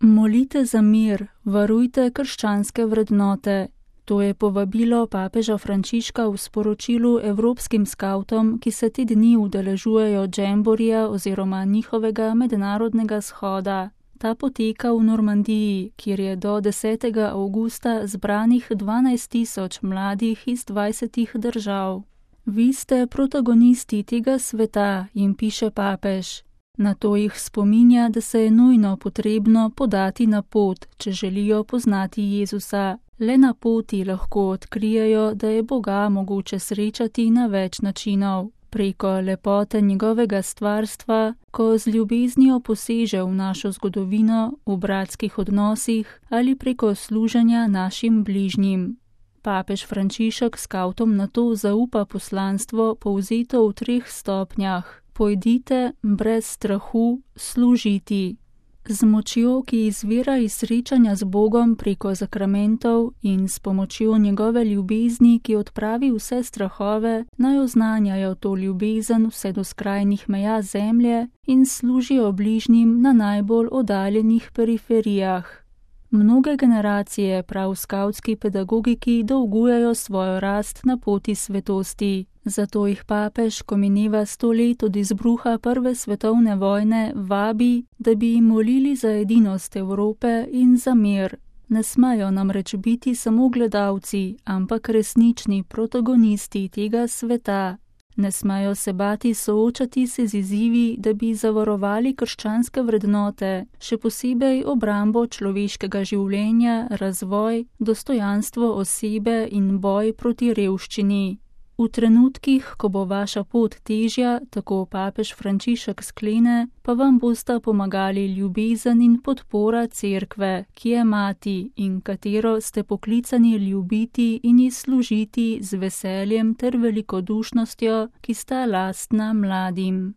Molite za mir, varujte krščanske vrednote. To je povabilo papeža Frančiška v sporočilu evropskim skavtom, ki se te dni udeležujejo džemborija oziroma njihovega mednarodnega shoda. Ta poteka v Normandiji, kjer je do 10. avgusta zbranih 12.000 mladih iz 20 držav. Vi ste protagonisti tega sveta, jim piše papež. Nato jih spominja, da se je nujno potrebno podati na pot, če želijo poznati Jezusa. Le na poti lahko odkrijejo, da je Boga mogoče srečati na več načinov. Preko lepote njegovega stvarstva, ko z ljubeznijo poseže v našo zgodovino, v bratskih odnosih ali preko služenja našim bližnjim. Papež Frančišek skavtom nato zaupa poslanstvo povzeto v 3 stopnjah. Pojdite brez strahu služiti. Z močjo, ki izvira iz srečanja z Bogom preko zakramentov in s pomočjo njegove ljubezni, ki odpravi vse strahove, naj oznanjajo to ljubezen vse do skrajnih meja zemlje in služijo bližnjim na najbolj oddaljenih periferijah. Mnoge generacije prav skavtski pedagogiki dolgujejo svojo rast na poti svetosti. Zato jih papež, ko mineva 100 let od izbruha prve svetovne vojne, vabi, da bi jim molili za edinost Evrope in za mir. Ne smejo namreč biti samo gledalci, ampak resnični protagonisti tega sveta. Ne smejo se bati soočati se z izzivi, da bi zavarovali krščanske vrednote, še posebej obrambo človeškega življenja, razvoj, dostojanstvo osebe in boj proti revščini. V trenutkih, ko bo vaša pot težja, tako papež Frančišek sklene, pa vam bosta pomagali ljubezen in podpora cerkve, ki je mati in katero ste poklicani ljubiti in ji služiti z veseljem ter velikodušnostjo, ki sta lastna mladim.